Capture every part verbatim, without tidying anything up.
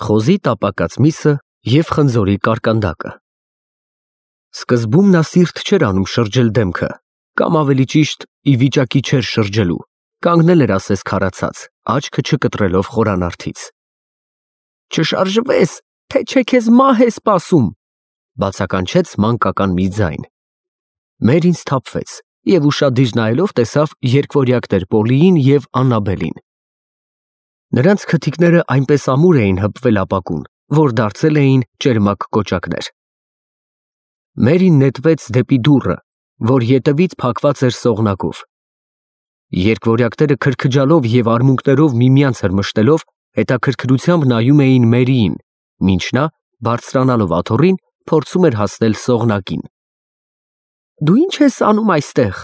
Խոզի տապակած միսը և խնձորի կարկանդակը։ Սկզբում նա սիրտ չէր անում շրջել դեմքը, կամ ավելի ճիշտ, ի վիճակի չէր շրջելու, կանգնել էր ասես քարացած, աչքը չկտրելով խորանարդից։ Չշարժվես, թե չէ քեզ մահ է սպասում, բացականչեց մանկական մի ձայն։ Մերին սթափվեց և ուշադիր նայելով տեսավ երկվորյակներ Պոլիին և Աննաբելին։ Նրանց քթիկները այնպես ամուր էին հպվել ապակուն, որ դարձել էին ճերմակ կոճակներ։ Մերին նետվեց դեպի դուռը, որ ետևից փակված էր սողնակով։ Երկվորյակները քրքջալով և արմունկներով միմյանց հրմշտելով հետաքրքրությամբ նայում էին Մերիին, մինչ նա, բարձրանալով աթոռին, փորձում էր հասնել սողնակին։ Դու ի՞նչ ես անում այստեղ,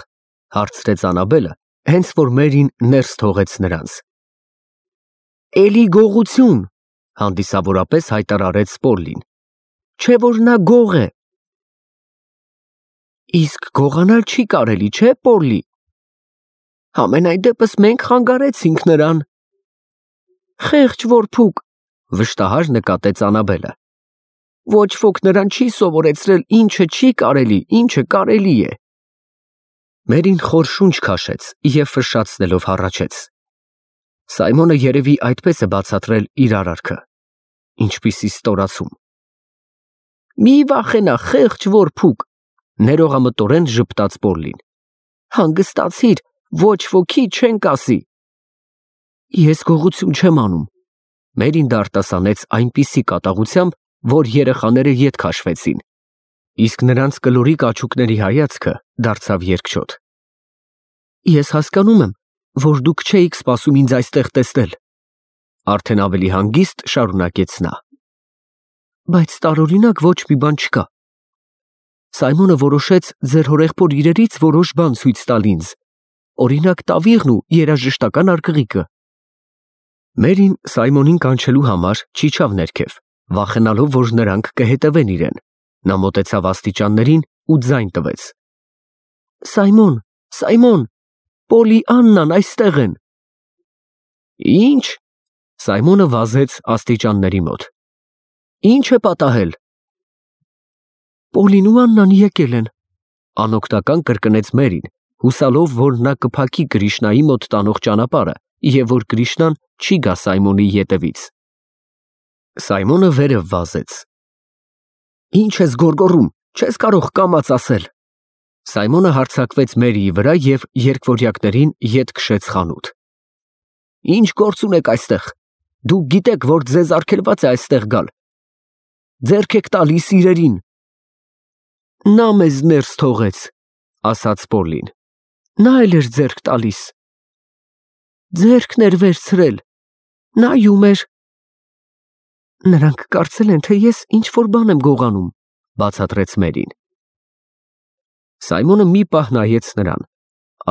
հարցրեց Աննաբելը, հենց որ Մերին ներս թողեց նրանց։ Էլի գողություն, հանդիսավորապես հայտարարեց Պոլլին, չէ որ նա գող է։ Իսկ գողանալ չի կարելի, չէ Պոլլի։ Համենայն դեպս մենք խանգարեցինք նրան։ Խեղճ որփուկ, վշտահար նկատեց Աննաբելը։ Ոչ ոք նրան չի սովորեցրել ինչը չի կարելի, ինչը կարելի է։ Մերին խոր շունչ քաշեց և ֆշշացնելով հառաչեց։ Սայմոնը երևի այդպես է բացատրել իր արարքը։ Ինչպիսի ստորացում։ Մի վախենա, խեղճ որփուկ, ներողամտորեն ժպտաց Պոլլին։ Հանգստացիր, ոչ ոքի չենք ասի։ Ես գողություն չեմ անում։ Մերին դարտասանեց այնպիսի կատաղությամբ, որ երեխաները ետ քաշվեցին, իսկ նրանց կլորիկ աչուկների հայացքը դարձավ երկչոտ։ Ես հասկանում եմ, որ դուք չէիք սպասում ինձ այստեղ տեսնել, արդեն ավելի հանգիստ շարունակեց նա։ Բայց տարօրինակ ոչ մի բան չկա։ Սայմոնը որոշեց ձեր հորեղբոր իրերից որոշ բան ցույց տալ ինձ, օրինակ տավիղն ու երաժշտական արկղիկը։ Մերին Սայմոնին կանչելու համար չիջավ ներքև, վախենալով, որ նրանք կհետևեն իրեն։ Նա մոտեցավ աստիճաններին ու ձայն տվեց. Սայմոն, Սայմոն, Պոլի Աննան այստեղ են։ Ինչ։ Սայմոնը վազեց աստիճանների մոտ։ Ինչ է պատահել։ Պոլին ու Աննան եկել են, անօգնական կրկնեց Մերին, հուսալով, որ նա կփակի Կրիշնայի մոտ տանող ճանապարհը և որ Կրիշնան չի գա Սայմոնի ետևից։ Սայմոնը վերև վազեց։ Ինչ ես գոռգոռում, չես կարող կամաց ասել։ Սայմոնը հարձակվեց Մերիի վրա և երկվորյակներին ետ քշեց խանութ։ Ինչ գործ ունեք այստեղ։ Դուք գիտեք, որ ձեզ արգելված է այստեղ գալ։ Ձեռք եք տալիս իրերին։ Նա մեզ ներս թողեց, ասաց Պոլլին։ Նա էլ էր ձեռք տալիս։ Ձեռքն էր վերցրել, նայում էր։ Նրանք կարծել են, թե ես ինչ-որ բան եմ գողանում, բացատրեց Մերին։ Սայմոնը մի պահ նայեց նրան,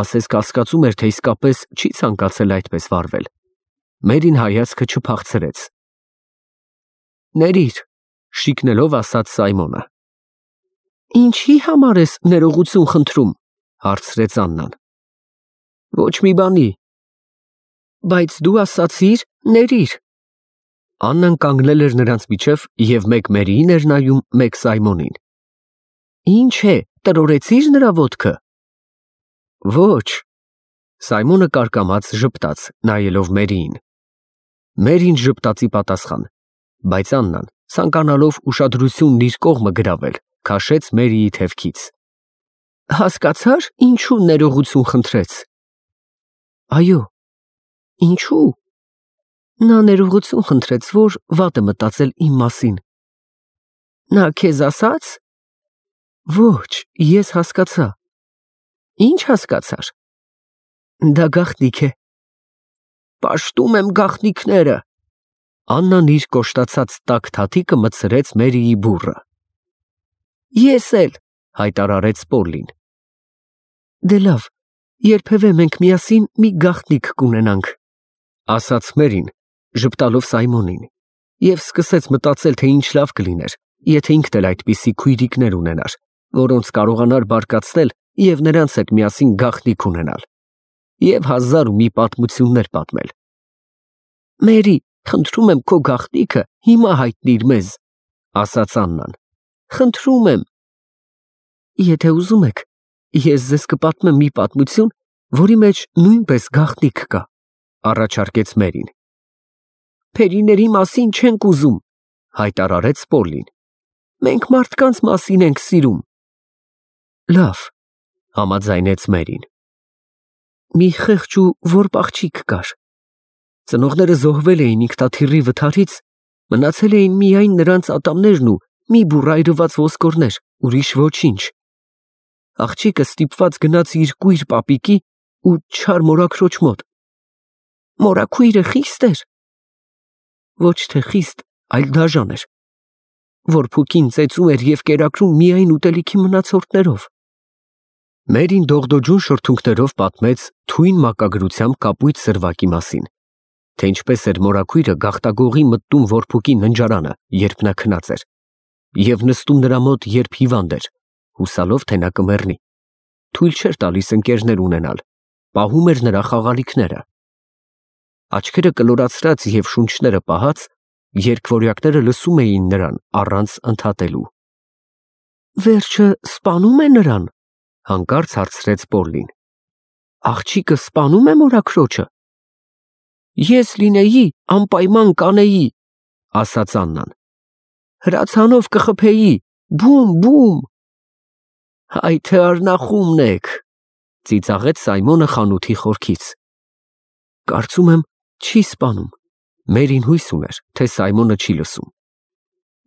ասես կասկածում էր, թե իսկապես չի ցանկացել այդպես վարվել։ Մերին հայացքը չփախցրեց։ Ներիր, շիկնելով ասաց Սայմոնը։ Ինչի համար ես ներողություն խնդրում, հարցրեց Աննան։ Ոչ մի բանի։ Բայց դու ասացիր, ներիր։ Աննան կանգնել էր նրանց միջև և մեկ Մերիին էր նայում, մեկ Սայմոնին։ Ինչ է, տրորեցի՞ր նրա ոտքը։ Ոչ։ Սայմոնը կարկամած ժպտաց, նայելով Մերիին։ Մերին ժպտացի պատասխան, բայց Աննան, ցանկանալով ուշադրությունն իր կողմը գրավել, քաշեց Մերիի թևքից։ Հասկացա՞ր, ինչու ներողություն խնդրեց։ Այո։ Ինչու։ Նա ներողություն խնդրեց, որ վատ է մտածել իմ մասին։ Նա քեզ ասաց։ Ոչ, ես հասկացա։ Ինչ հասկացար։ Դա գաղտնիք է։ Պաշտում եմ գաղտնիքները։ Աննան իր կոշտացած տաք թաթիկը մտցրեց Մերիի բուռը։ Ես էլ, հայտարարեց Պոլլին։ Դե լավ, երբևէ մենք միասին մի գաղտնիք կունենանք, ասաց Մերին, ժպտալով Սայմոնին, և սկսեց մտածել, թե ինչ լավ կլիներ, եթե ինքն էլ այդպիսի քույրիկներ ունենար, որոնց կարողանար բարկացնել և նրանց հետ միասին գաղտնիք ունենալ, և հազար ու մի պատմություններ պատմել։ Մերի, Խնդրում եմ քո գաղտնիքը հիմա հայտնիր մեզ, ասաց Աննան։ Խնդրում եմ։ Եթե ուզում եք, ես ձեզ կպատմեմ մի պատմություն, որի մեջ նույնպես գաղտնիք կա, առաջարկեց Մերին։ Փերիների մասին չենք ուզում, հայտարարեց Պոլլին։ Մենք մարդկանց մասին ենք սիրում։ Լավ, համաձայնեց Մերին։ Մի խեղճ ու որբ աղջիկ կար։ Ծնողները զոհվել էին ինքնաթիռի վթարից, մնացել էին միայն նրանց ատամներն ու մի բուռ այրված ոսկորներ, ուրիշ ոչինչ։ Աղջիկը ստիպված գնաց իր կույր պապիկի ու չար մորաքրոջ մոտ։ Մորաքույրը խիստ էր։ Ոչ թե խիստ, այլ դաժան էր։ Որփուկին ծեծում էր և կերակրում միայն ուտելիքի մնացորդներով։ Մերին դողդոջուն շրթունքներով պատմեց թույն մակագրությամբ կապույտ սրվակի մասին, թե ինչպես էր մորաքույրը գաղտագողի մտնում որփուկի ննջարանը, երբ նա քնած էր, և նստում նրա մոտ, երբ հիվանդ էր, հուսալով, թե նա կմեռնի, թույլ չէր տալիս ընկերներ ունենալ, պահում էր նրա խաղալիքները։ Աչքերը կլորացրած և շունչները պահած, երկվորյակները լսում էին նրան առանց ընդհատելու։ Վերջը սպանում է նրան, հանկարծ հարցրեց Պոլլին։ Աղջիկը սպանում է մորաքրոջը։ Ես լինեի, անպայման կանեի, ասաց Աննան։ Հրացանով կխփեի, բում, բում։ Հայ թե արնախումն եք, ծիծաղեց Սայմոնը խանութի խորքից։ Կարծում եմ, չի սպանում։ Մերին հույս ուներ, թե Սայմոնը չի լսում։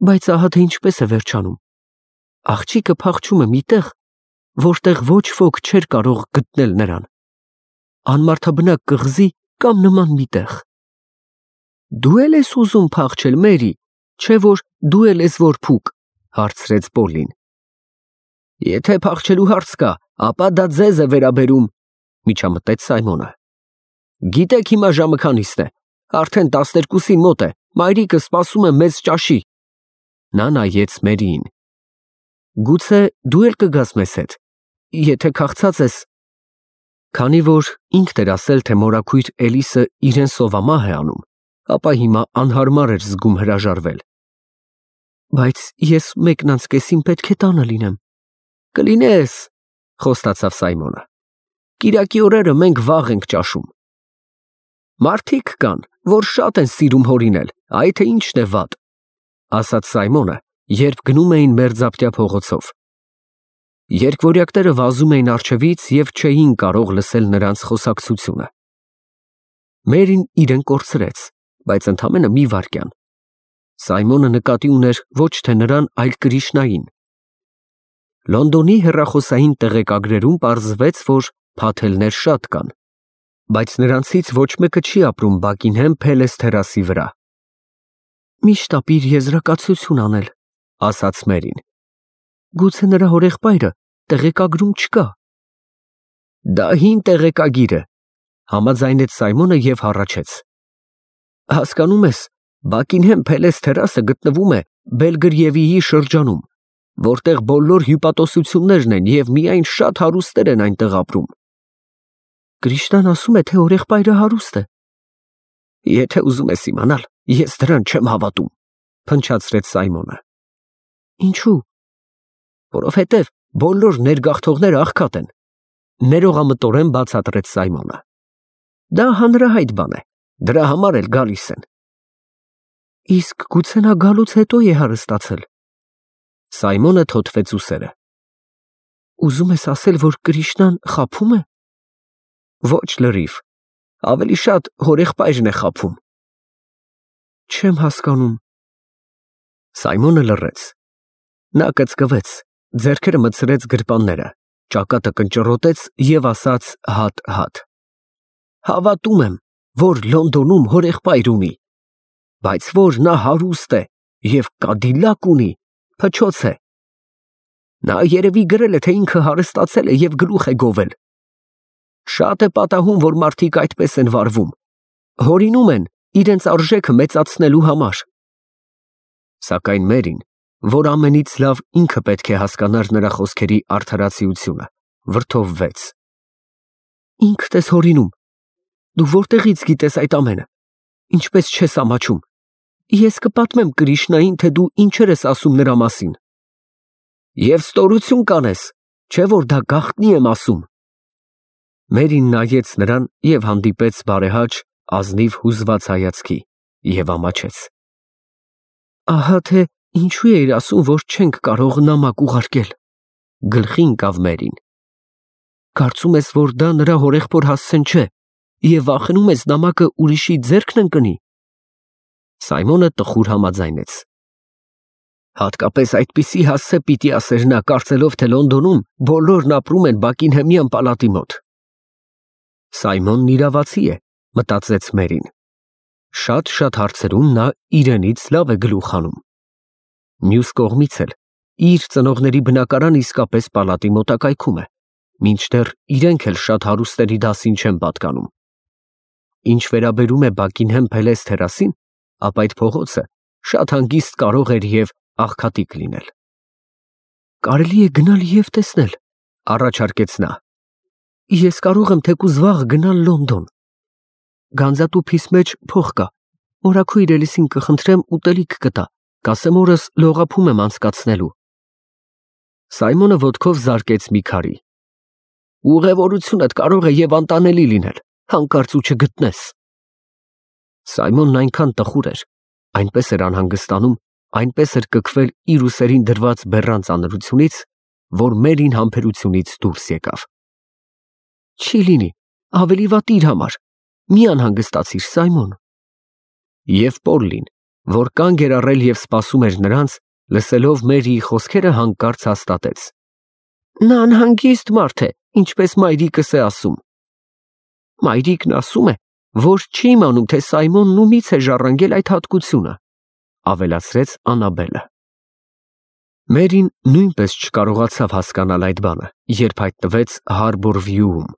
Բայց ահա թե ինչպես է վերջանում։ Աղջիկը փախչում է մի տեղ, որտեղ ոչ ոք չէր կարող գտնել նրան։ Անմարդաբնակ կղզի կամ նման մի տեղ։ Դու էլ ես ուզում փախչել, Մերի, չէ որ դու էլ ես որփուկ, հարցրեց Պոլլին։ Եթե փախչելու հարց կա, ապա դա ձեզ է վերաբերում, միջամտեց Սայմոնը։ Գիտեք հիմա ժամը քանիսն է։ Արդեն տասներկուսին մոտ է, մայրիկը սպասում է մեզ ճաշի։ Նա նայեց Մերիին։ Գուցե դու էլ կգաս մեզ հետ, եթե քաղցած ես։ Քանի որ ինքն էր ասել, թե մորաքույր Էլիսը իրեն սովամահ է անում, ապա հիմա անհարմար էր զգում հրաժարվել։ Բայց ես մեկնանցկեսին պետք է տանը լինեմ։ Կլինես, խոստացավ Սայմոնը։ Կիրակի օրերը մենք վաղ ենք ճաշում։ Մարդիկ կան, որ շատ են սիրում հորինել, այ թե ինչն է վատ, ասաց Սայմոնը, երբ գնում էին մերձապտյա փողոցով։ Երկվորյակները վազում էին առջևից և չէին կարող լսել նրանց խոսակցությունը։ Մերին իրեն կորցրեց, բայց ընդամենը մի վայրկյան։ Սայմոնը նկատի ուներ ոչ թե նրան, այլ Կրիշնային։ Լոնդոնի հեռախոսային տեղեկագրերում պարզվեց, որ փաթելներ շատ կան, բայց նրանցից ոչ մեկը չի ապրում Բաքինհեմ Փելես թերասի վրա։ Միշտ ապիր եզրակացություն անել, ասաց Մերին։ Գուցե նրա հորեղբայրը տեղեկագրում չկա։ Դա հին տեղեկագիր է, համաձայնեց Սայմոնը և հառաչեց։ Հասկանում ես, Բաքինհեմ Փելես թերասը գտնվում է Բելգրիևիի շրջանում, որտեղ բոլոր հյուպատոսություններն են և միայն շատ հարուստներ են այնտեղ ապրում։ Կրիշնան ասում է, թե հորեղբայրը հարուստ է։ Եթե ուզում ես իմանալ, ես դրան չեմ հավատում, փնչացրեց Սայմոնը։ Ինչու։ Որովհետև բոլոր ներգաղթողները աղքատ են, ներողամտորեն բացատրեց Սայմոնը։ Դա հանրահայտ բան է, դրա համար էլ գալիս են։ Իսկ գուցե նա գալուց հետո է հարստացել։ Սայմոնը թոթվեց ուսերը։ Ուզում ես ասել, որ Կրիշնան խաբում է։ Ոչ լրիվ, ավելի շատ հորեղբայրն է խաբում։ Չեմ հասկանում։ Սայմոնը լռեց։ Նա կծկվեց, ձեռքերը մտցրեց գրպանները, ճակատը կնճռոտեց և ասաց հատ-հատ. Հավատում եմ, որ Լոնդոնում հորեղբայր ունի, բայց որ նա հարուստ է և կադիլակ ունի, փչոց է։ Նա երևի գրել է, թե ինքը հարստացել է և գլուխ է գովել։ Շատ է պատահում, որ մարդիկ այդպես են վարվում, հորինում են իրենց արժեքը մեծացնելու համար։ Սակայն Մերին, որ ամենից լավ ինքը պետք է հասկանար նրա խոսքերի արդարացիությունը, վրդովվեց։ Ինքդ ես հորինում։ Դու որտեղից գիտես այդ ամենը։ ինչպես չես ամաչում։ Ես կպատմեմ Կրիշնային, թե դու ինչեր ես ասում նրա մասին։ Եվ ստորություն կանես, չէ որ դա գաղտնի եմ ասում։ Մերին նայեց նրան և հանդիպեց բարեհաճ, ազնիվ հուզված հայացքի և ամաչեց։ Ահա թե ինչու էիր ասում, որ չենք կարող նամակ ուղարկել, գլխի ընկավ Մերին։ Կարծում ես, որ դա նրա հորեղբոր հասցեն չէ և վախենում ես նամակը ուրիշի ձեռքն ընկնի։ Սայմոնը տխուր համաձայնեց։ Հատկապես այդպիսի հասցե պիտի ասեր նա, կարծելով, թե Լոնդոնում բոլորն ապրում են Բաքինհեմյան պալատի մոտ։ Սայմոնն իրավացի է, մտածեց Մերին։ Շատ-շատ հարցերում նա իրենից լավ է գլուխ հանում։ Մյուս կողմից էլ իր ծնողների բնակարան իսկապես պալատի մոտակայքում է, մինչդեռ իրենք էլ շատ հարուստերի դասին չեն պատկանում։ Ինչ վերաբերում է Բաքինհեմ Փելես թերասին, ապա այդ փողոցը շատ հանգիստ կարող էր և աղքատիկ լինել։ Կարելի է գնալ և տեսնել, առաջարկեց նա։ Ես կարող եմ թեկուզ վաղ գնալ Լոնդոն։ Գանձատուփիս մեջ փող կա, մորաքույր Էլիսին կխնդրեմ ուտելիք կտա, կասեմ օրս լողափում եմ անցկացնելու։ Սայմոնը ոտքով զարկեց մի քարի։ Ուղևորությունդ կարող է և անտանելի լինել, հանկարծ ու չգտնես։ Սայմոնն այնքան տխուր էր, այնպես էր անհանգստանում, այնպես էր կքվել իր ուսերին դրված բեռան ծանրությունից, որ Մերին համբերությունից դուրս եկավ։ Չի լինի, ավելի վատ իր համար, մի անհանգստացիր, Սայմոն։ Եվ Պոլլին, որ կանգ էր առել և սպասում էր նրանց, լսելով Մերիի խոսքերը, հանկարծ հաստատեց. Նա անհանգիստ մարդ է, ինչպես մայրիկս է ասում։ Մայրիկն ասում է, որ չի իմանում, թե Սայմոնն ումից է ժառանգել այդ հատկությունը, ավելացրեց Անաբելը։ Մերին նույնպես չկարողացավ հասկանալ այդ բանը, երբ հայտնվեց Հարբոր Վյուում։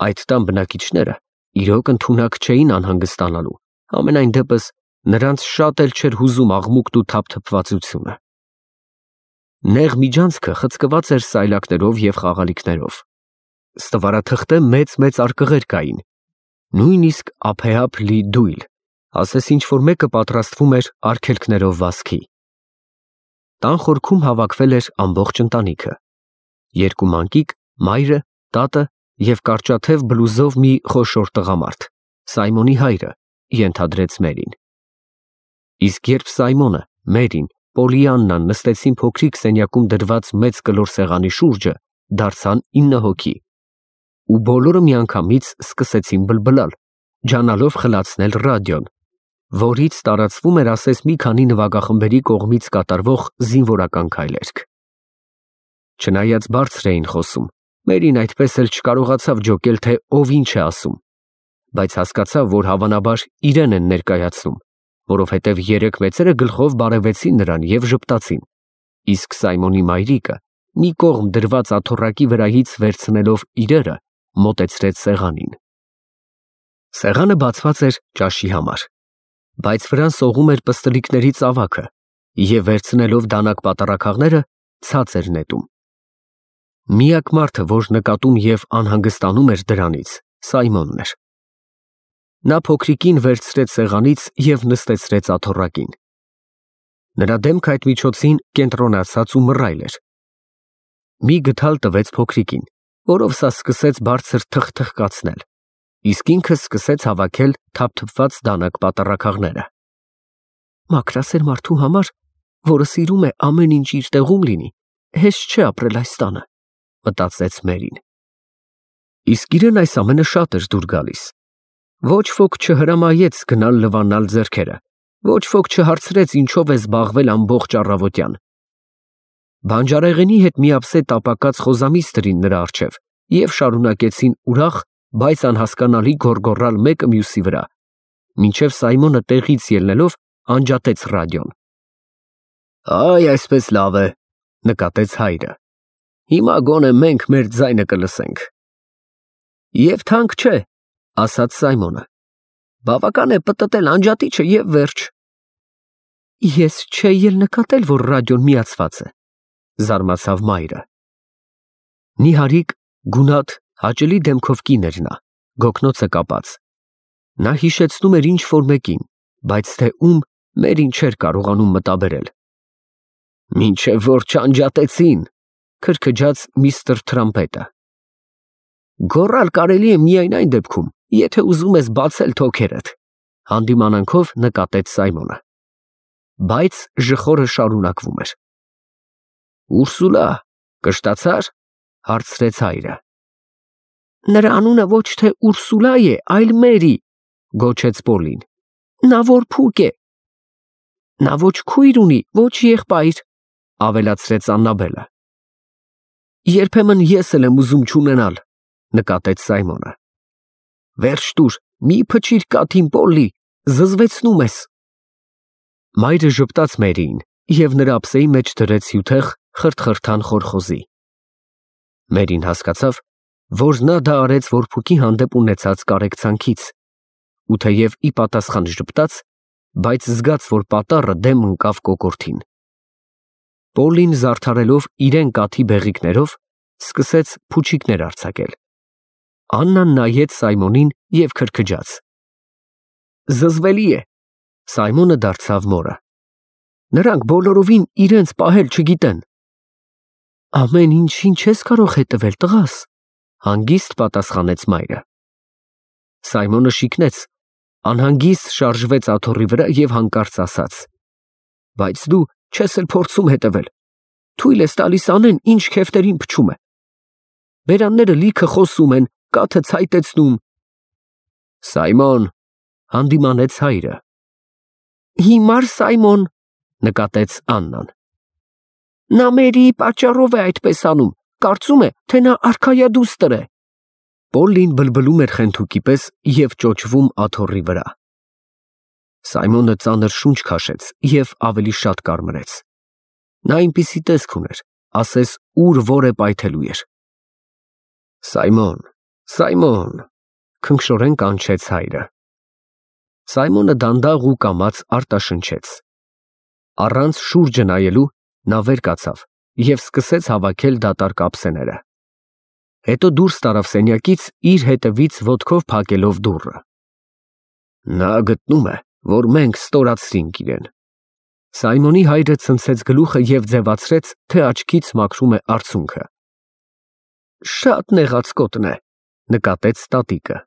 Այդ տան բնակիչները իրոք ընդունակ չէին անհանգստանալու, համենայն դեպս նրանց շատ էլ չէր հուզում աղմուկն ու թափթփվածությունը։ Նեղ միջանցքը խցկված էր սայլակներով և խաղալիքներով։ Ստվարաթղթե մեծ-մեծ արկղեր կային, նույնիսկ ափեափ լի դույլ, ասես ինչ-որ մեկը պատրաստվում էր արգելքներով վազքի։ Տան խորքում հավաքվել էր ամբողջ ընտանիքը. երկու մանկիկ, մայրը, տատը և կարճաթև բլուզով մի խոշոր տղամարդ, Սայմոնի հայրը, ենթադրեց Մերին։ Իսկ երբ Սայմոնը, Մերին, Պոլիաննան նստեցին փոքրիկ սենյակում դրված մեծ կլոր սեղանի շուրջը, դարձան ինը հոգի, ու բոլորը միանգամից սկսեցին բլբլալ, ջանալով խլացնել ռադիոն, որից տարածվում էր ասես մի քանի նվագախմբերի կողմից կատարվող զինվորական քայլերգ։ Չնայած բարձր էին խոսում, Մերին այդպես էլ չկարողացավ ջոկել, թե ով ինչ է ասում, բայց հասկացավ, որ հավանաբար իրեն են ներկայացնում, որովհետև երեք մեծերը գլխով բարևեցին նրան և ժպտացին, իսկ Սայմոնի մայրիկը, մի կողմ դրված աթոռակի վրայից վերցնելով իրերը, մոտեցրեց սեղանին։ Սեղանը բացված էր ճաշի համար, բայց վրան սողում էր պստլիկների ծավաքը և վերցնելով դանակ պատառաքաղները, ցած էր նետում։ Միակ մարդը, որ նկատում և անհանգստանում էր դրանից, Սայմոնն էր։ Նա փոքրիկին վերցրեց սեղանից և նստեցրեց աթոռակին։ Նրա դեմքը այդ միջոցին կենտրոնացած ու մռայլ էր։ Մի գդալ տվեց փոքրիկին, որով սա սկսեց բարձր թխթխկացնել, իսկ ինքը սկսեց հավաքել թափթփված դանակ պատառաքաղները։ Մաքրասեր մարդու համար, որը սիրում է ամեն ինչ իր տեղում լինի, հեշտ չէ ապրել այս տանը, մտածեց Մերին։ Իսկ իրեն այս ամենը շատ էր դուր գալիս։ Ոչ ոք չհրամայեց գնալ լվանալ ձեռքերը, ոչ ոք չհարցրեց ինչով է զբաղվել ամբողջ առավոտյան։ Բանջարեղենի հետ միապսե տապակած խոզամիս դրին նրա առջև և շարունակեցին ուրախ, բայց անհասկանալի գոռգոռալ մեկը մյուսի վրա, մինչև Սայմոնը տեղից ելնելով անջատեց ռադիոն։ Այ այսպես լավ է, նկատեց հայրը։ Հիմա գոնե մենք մեր ձայնը կլսենք։ Եվ թանկ չէ, ասաց Սայմոնը։ Բավական է պտտել անջատիչը և վերջ։ Ես չէի էլ նկատել, որ ռադիոն միացված է, զարմացավ մայրը։ Նիհարիկ, գունատ, հաճելի դեմքով կին էր նա, գոգնոցը կապած։ Նա հիշեցնում էր ինչ-որ մեկին, բայց թե ում Մերին չէր կարողանում մտաբերել։ Մինչև որ չանջատեցին, քրքջաց միստր Թրամփետը։ Գոռալ կարելի է միայն այն դեպքում, եթե ուզում ես բացել թոքերդ, հանդիմանանքով նկատեց Սայմոնը։ Բայց ժխորը շարունակվում էր։ Ուրսուլա, կշտացա՞ր, հարցրեց հայրը։ Նրա անունը ոչ թե Ուրսուլա է, այլ Մերի, գոչեց Պոլին։ Նա որ փուկ է։ Նա ոչ քույր ունի, ոչ եղբայր, ավելացրեց Աննաբելը։ Երբեմն ես էլ եմ ուզում չունենալ, նկատեց Սայմոնը։ Վերջ տուր, մի փչիր կաթին, Պոլլի, զզվեցնում ես։ Մայրը ժպտաց Մերիին և նրա ափսեի մեջ դրեց հյութեղ խրթխրթան խորխոզի։ Մերին հասկացավ, որ նա դա արեց որփուկի հանդեպ ունեցած կարեկցանքից, ու թեև ի պատասխան ժպտաց, բայց զգաց, որ պատառը դեմ ընկավ կոկորդին։ Պոլին զարդարելով իրեն կաթի բեղիկներով, սկսեց փուչիկներ արձակել։ Աննան նայեց Սայմոնին և քրքջաց։ Զզվելի է, Սայմոնը դարձավ մորը։ Նրանք բոլորովին իրենց պահել չգիտեն։ Ամեն ինչին չես կարող հետևել, տղաս, հանգիստ պատասխանեց մայրը։ Սայմոնը շիկնեց, անհանգիստ շարժվեց աթոռի վրա և հանկարծ ասաց. Բայց դու չես էլ փորձում հետևել, թույլ ես տալիս անեն, ինչ քեֆտերին փչում է։ Բերանները լիքը խոսում են, կաթը ցայտեցնում։ Սայմոն, հանդիմանեց հայրը։ Հիմար Սայմոն, նկատեց Աննան։ Նա Մերիի պատճառով է այդպես անում, կարծում է, թե նա արքայադուստր է։ Պոլլին բլբլում էր խենթուկի պես և ճոճվում աթոռի վրա։ Սայմոնը ծանր շունչ քաշեց և ավելի շատ կարմրեց։ Նա այնպիսի տեսք ուներ, ասես ուր որ է պայթելու էր։ Սայմոն, Սայմոն, քնքշորեն կանչեց հայրը։ Սայմոնը դանդաղ ու կամաց արտաշնչեց։ Առանց շուրջը նայելու նա վեր կացավ և սկսեց հավաքել դատարկ ափսեները։ Հետո դուրս տարավ սենյակից, իր հետևից ոտքով փակելով դուռը։ Նա գտնում է, որ մենք ստորացրինք իրեն։ Սայմոնի հայրը ցնցեց գլուխը և ձևացրեց, թե աչքից մաքրում է արցունքը։ Շատ նեղացկոտն է, նկատեց տատիկը։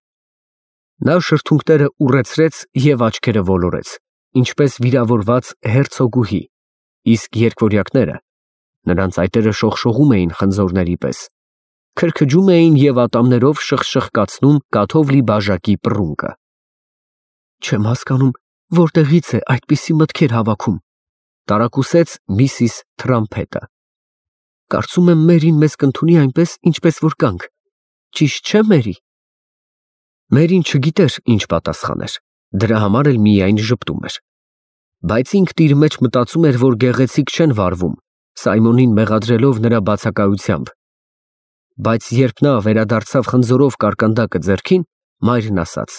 Նա շրթունքները ուռեցրեց և աչքերը ոլորեց, ինչպես վիրավորված հերցոգուհի, իսկ երկվորյակները, նրանց այտերը շողշողում էին խնձորների պես, քրքջում էին և ատամներով շխշխկացնում կաթով լի բաժակի պռունգը։ Չեմ հասկանում, որտեղից է այդպիսի մտքեր հավաքում, տարակուսեց միսիս Թրամփետը։ Կարծում եմ Մերին մեզ կընդունի այնպես, ինչպես որ կանք, ճիշտ չէ՞ Մերի։ Մերին չգիտեր ինչ պատասխաներ, դրա համար էլ միայն ժպտում էր։ Բայց ինքն իր մեջ մտածում էր, որ գեղեցիկ չեն վարվում, Սայմոնին մեղադրելով նրա բացակայությամբ։ Բայց երբ նա վերադարձավ խնձորով կարկանդակը ձեռքին, մայրն ասաց.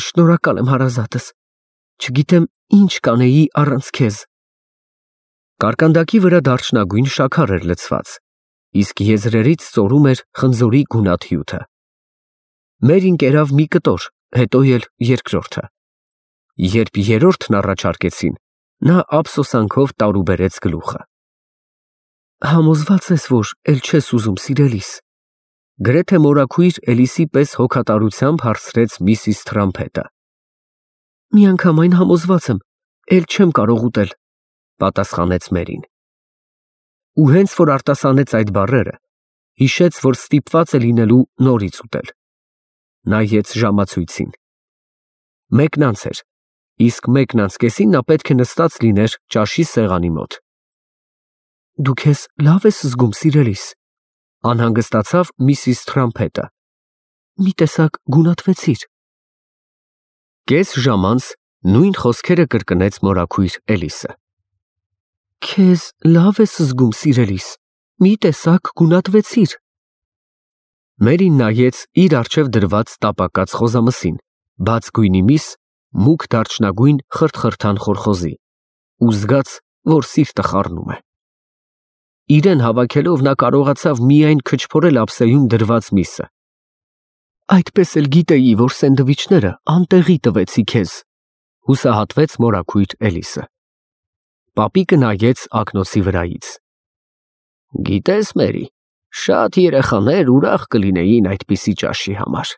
Շնորհակալ եմ հարազատս, չգիտեմ ինչ կանեի առանց քեզ։ Կարկանդակի վրա դարչնագույն շաքար էր լցված, իսկ եզրերից ծորում էր խնձորի գունատ հյութը։ Մերին կերավ մի կտոր, հետո էլ երկրորդը։ Երբ երրորդն առաջարկեցին, նա ափսոսանքով տարուբերեց գլուխը։ Համոզված ես, որ էլ չես ուզում, սիրելիս, գրեթե մորաքույր Էլիսի պես հոգատարությամբ հարցրեց միսիս Թրամփետը։ Միանգամայն համոզված եմ, էլ չեմ կարող ուտել, պատասխանեց Մերին։ Ու հենց որ արտասանեց այդ բառերը, հիշեց, որ ստիպված է լինելու նորից ուտել։ Նայեց ժամացույցին։ Մեկն անց էր, իսկ մեկն անց կեսին նա պետք է նստած լիներ ճաշի սեղանի մոտ։ Դու քեզ լավ ես զգում, սիրելիս, անհանգստացավ միսիս Թրամփետը։ Մի տեսակ գունատվեցիր։ Կես ժամ անց նույն խոսքերը կրկնեց մորաքույր Էլիսը։ Քեզ լավ ես զգում, սիրելիս, մի տեսակ գունատվեցիր։ Մերին նայեց իր առջև դրված տապակած խոզամսին, բաց գույնի միս, մուգ դարչնագույն խրթխրթան խորխոզի, ու զգաց, որ սիրտը խառնում է։ Իրեն հավաքելով նա կարողացավ միայն քչփորել ափսեում դրված միսը։ Այդպես էլ գիտեի, որ սենդվիչները անտեղի տվեցի քեզ, հուսահատվեց մորաքույր Էլիսը։ Պապիկը նայեց ակնոցի վրայից։ Գիտես, Մերի, շատ երեխաներ ուրախ կլինեին այդպիսի ճաշի համար,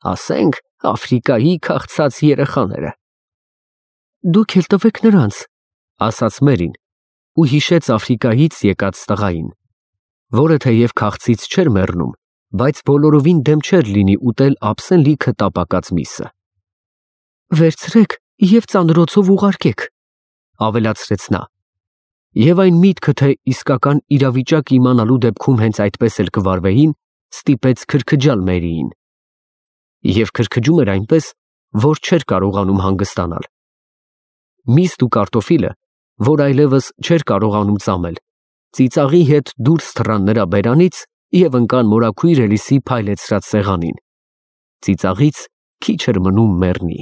ասենք Աֆրիկայի քաղցած երեխաները։ Դուք էլ տվեք նրանց, ասաց Մերին ու հիշեց Աֆրիկայից եկած տղային, որը թեև քաղցից չէր մեռնում, բայց բոլորովին դեմ չէր լինի ուտել ափսեն լիքը տապակած միսը։ Վերցրեք և ծանրոցով ուղարկեք, ավելացրեց նա, և այն միտքը, թե իսկական իրավիճակ իմանալու դեպքում հենց այդպես էլ կվարվեին, ստիպեց քրքջալ Մերիին։ Եվ քրքջում էր այնպես, որ չէր կարողանում հանգստանալ։ Միսն ու կարտոֆիլը, որ այլևս չէր կարողանում ծամել, ծիծաղի հետ դուրս թռան նրա բերանից և ընկան մորաքույր Էլիսի փայլեցրած սեղանին։ Ծիծաղից քիչ էր մնում մեռնի։